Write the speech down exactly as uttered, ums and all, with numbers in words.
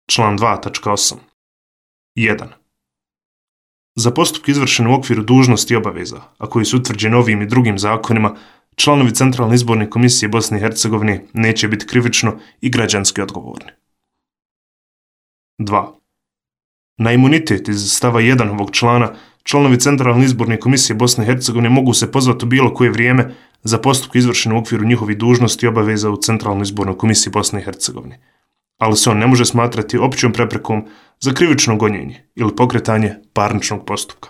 Član dva tačka osam. jedan. Za postupke izvršene u okviru dužnosti i obaveza, a koji su utvrđeni ovim i drugim zakonima, članovi Centralne izborne komisije Bosne i Hercegovine neće biti krivično i građanski odgovorni. dva. Na imunitet iz stava jedan ovog člana članovi Centralne izborne komisije Bosne i Hercegovine mogu se pozvati u bilo koje vrijeme za postupke izvršene u okviru njihovih dužnosti i obaveza u Centralnoj izbornoj komisiji Bosne i Hercegovine, ali se on ne može smatrati općom preprekom za krivično gonjenje ili pokretanje parničnog postupka.